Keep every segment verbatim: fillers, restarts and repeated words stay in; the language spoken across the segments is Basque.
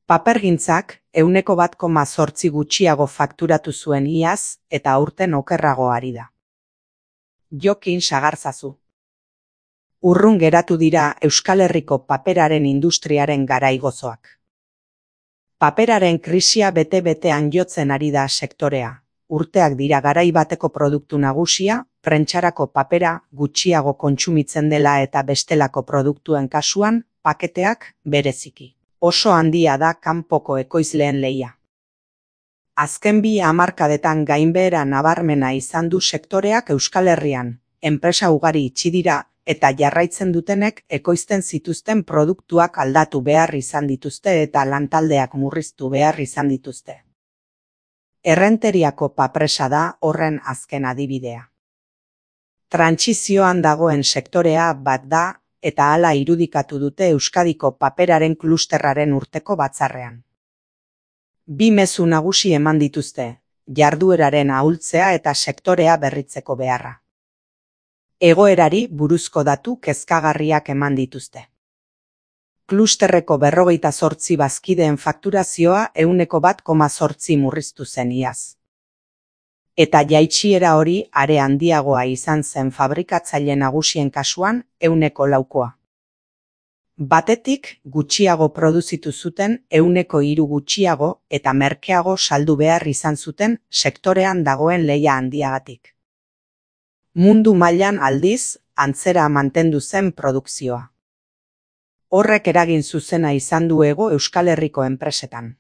Papergintzak ehuneko bat koma zortzi gutxiago fakturatu zuen iaz eta aurten okerrago ari da. Jokin sagarzazu. Urrun geratu dira Euskal Herriko paperaren industriaren garai gozoak. Paperaren krisia bete-betean jotzen ari da sektorea. Urteak dira garai bateko produktu nagusia, prentsarako papera gutxiago kontsumitzen dela eta bestelako produktuen kasuan, paketeak bereziki. Oso handia da kanpoko ekoizleen lehia. Azken bi hamarkadetan gainbehera nabarmena izan du sektoreak Euskal Herrian, enpresa ugari itxi dira eta jarraitzen dutenek ekoizten zituzten produktuak aldatu behar izan dituzte eta lantaldeak murriztu behar izan dituzte. Errenteriako papresa da horren azken adibidea. Trantsizioan dagoen sektorea bat da, eta hala irudikatu dute Euskadiko paperaren klusterraren urteko batzarrean. Bi mezu nagusi eman dituzte, jardueraren ahultzea eta sektorea berritzeko beharra. Egoerari buruzko datu kezkagarriak eman dituzte. Klusterreko berrogeita zortzi bazkideen fakturazioa ehuneko bat koma zortzi murriztu zen iaz. Eta jaitsiera hori are handiagoa izan zen fabrikatzaile nagusien kasuan ehuneko laukoa. Batetik gutxiago produzitu zuten ehuneko hiru gutxiago eta merkeago saldu behar izan zuten sektorean dagoen lehia handiagatik. Mundu mailan aldiz, antzera mantendu zen produkzioa. Horrek eragin zuzena izan du hego Euskal Herriko enpresetan.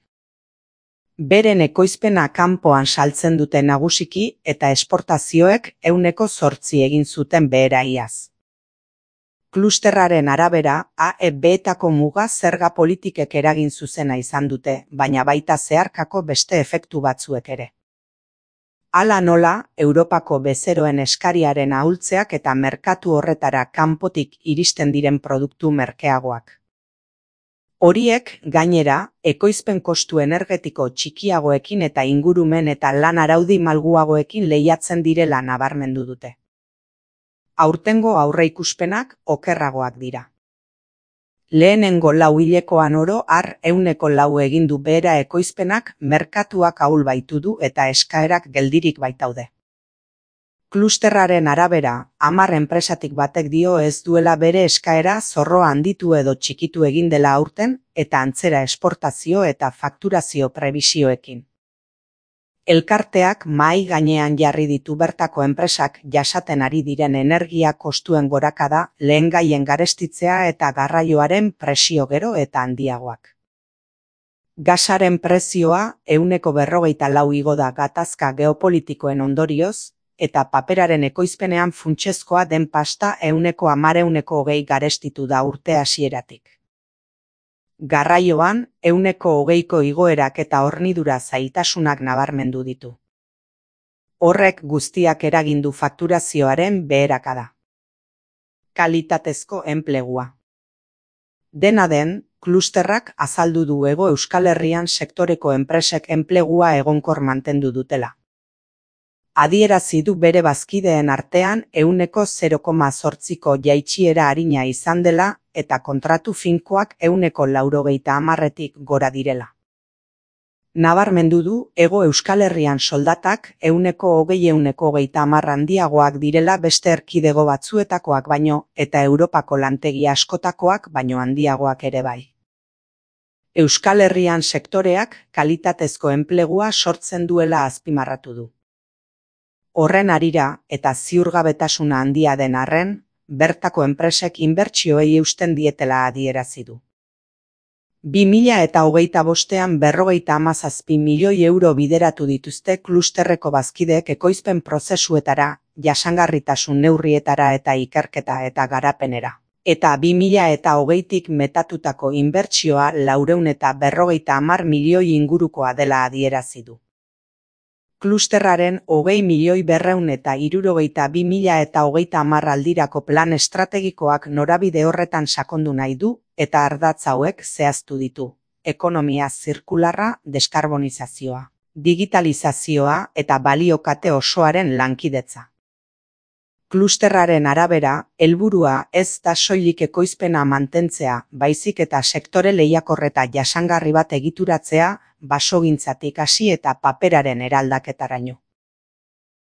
Beren ekoizpena kanpoan saltzen dute nagusiki eta esportazioek ehuneko zortzi egin zuten behera iaz. Klusterraren arabera, A E B-etako muga zerga politikek eragin zuzena izan dute, baina baita zeharkako beste efektu batzuek ere. Hala nola, Europako bezeroen eskariaren ahultzeak eta merkatu horretara kanpotik iristen diren produktu merkeagoak. Horiek, gainera, ekoizpen kostu energetiko txikiagoekin eta ingurumen eta lan araudi malguagoekin lehiatzen direla nabarmendu dute. Aurtengo aurreikuspenak okerragoak dira. Lehenengo lau hilekoan oro har ehuneko lau egin du behera ekoizpenak merkatuak ahul baitu du eta eskaerak geldirik baitaude. Klusterraren arabera, hamar enpresatik batek dio ez duela bere eskaera zorroa handitu edo txikitu egin dela aurten eta antzera esportazio eta fakturazio prebisioekin. Elkarteak mahai gainean jarri ditu bertako enpresak jasaten ari diren energia kostuen gorakada, lehengaien garestitzea eta garraioaren presio gero eta handiagoak. Gasaren prezioa ehuneko berrogeita lau igo da gatazka geopolitikoen ondorioz, eta paperaren ekoizpenean funtsezkoa den pasta ehuneko hamar ehuneko hogei garestitu da urte hasieratik. Garraioan, ehuneko hogeiko igoerak eta hornidura zailtasunak nabarmendu ditu. Horrek guztiak eragindu fakturazioaren beherakada. Kalitatezko enplegua. Dena den, klusterrak azaldu du hego Euskal Herrian sektoreko enpresek enplegua egonkor mantendu dutela. Adierazi du bere bazkideen artean ehuneko zero koma zortziko jaitsiera arina izan dela eta kontratu finkoak ehuneko laurogeita hamarretik gora direla. Nabarmendu du hego Euskal Herrian soldatak ehuneko hogei ehuneko hogeita hamar handiagoak direla beste erkidego batzuetakoak baino eta Europako lantegi askotakoak baino handiagoak ere bai. Euskal Herrian sektoreak kalitatezko enplegua sortzen duela azpimarratu du. Horren harira eta ziurgabetasuna handia den arren, bertako enpresek inbertsioei eusten dietela adierazi du. Bi mila eta hogeita bostean berrogeita hamazazpi milioi euro bideratu dituzte klusterreko bazkideek ekoizpen prozesuetara, jasangarritasun neurrietara eta ikerketa eta garapenera. Eta bi mila eta hogeitik metatutako inbertsioa laurehun eta berrogeita hamar milioi ingurukoa dela adierazi du. Klusterraren hogei milioi berrehun eta hirurogeita bi mila eta hogeita hamar aldirako plan estrategikoak norabide horretan sakondu nahi du eta ardatz hauek zehaztu ditu. Ekonomia zirkularra, Klusterraren arabera, helburua ez da soilik ekoizpena mantentzea, baizik eta sektore lehiakor eta jasangarri bat egituratzea, basogintzatik hasi eta paperaren eraldaketaraino.